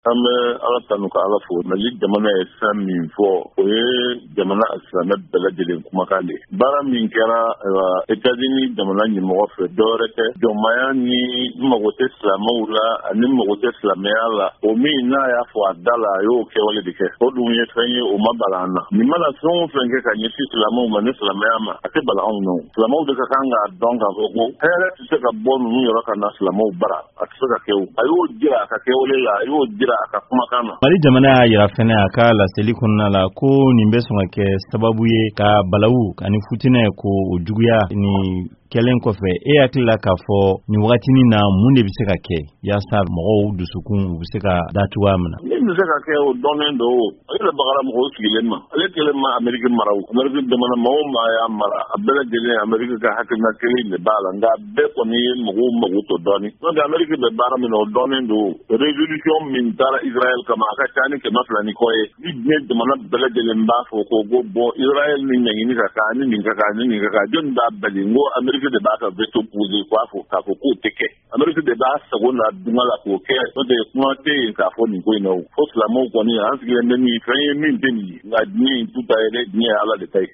An bɛ Ala tanu ka Ala fo. Mali jamana ye fɛn min fɔ, o ye jamana silamɛ bɛɛ lajɛlen kumakan de ye. Baara min kɛra, ayiwa, États-Unis jamana ɲɛmɔgɔ fɛ, dɔwɛrɛ tɛ jɔnmaya ni mago tɛ silamɛw la ani mago tɛ silamɛya la. O min n'a y'a fɔ a da la, a y'o kɛwale de kɛ. O dun ye fɛn ye, o ma bala an na. Nin mana fɛn o fɛn kɛ ka ɲɛsin silamɛw ma ni silamɛya ma, a tɛ bala anw na. Silamɛw de ka kan k'a dɔn k'a fɔ ko hɛrɛ tɛ se ka bɔ ninnu yɔrɔ ka na silamɛw bara, a tɛ se ka kɛ. O a y'o jira a ka kɛwale la, a y'o jira a ka kumakan na. Mali jamana y'a yira fɛnɛ a ka laseli kɔnɔna la ko nin bɛ sɔn ka kɛ sababu ye ka balawu ani futinɛ ko o juguya. Nin kɛlen kɔfɛ, e hakili la k'a fɔ nin wagatinin na, mun de bɛ se ka kɛ yaasa mɔgɔw dusukun u bɛ se ka da cogoya min na? Min bɛ se ka kɛ, o dɔnnen don. O ale yɛrɛ bagara mɔgɔw sigilen ma. Ale kelen ma Ameriki mara. O Ameriki jamana, maa o maa y'a mara, a bɛɛ lajɛlen Ameriki ka hakilina kelen de b'a la, nka bɛɛ kɔni ye mɔgɔw mago to dɔɔni. N'o tɛ, Ameriki bɛ baara min na, o dɔnnen don. Résolution min taara Israël kama, a ka ca ni 200 ni kɔ ye. Ni diɲɛ jamana bɛɛ lajɛlen b'a fɔ ko bon, Israël ni ɲangini ka kan, ni nin ka kan, ni nin ka kan, jɔnni b'a bali? N ko Ameriki de b'a ka veto posé k'a fɔ k'o tɛ kɛ. Ameriki de b'a sago n'a dunga la k'o kɛ. N'o tɛ, kuma tɛ yen k'a fɔ nin ko in na. O fo silamɛw kɔni, an sigilen bɛ min fɛn ye min tɛ nin ye, nka diɲɛ in tu ta ye dɛ, diɲɛ ye Ala de ta ye.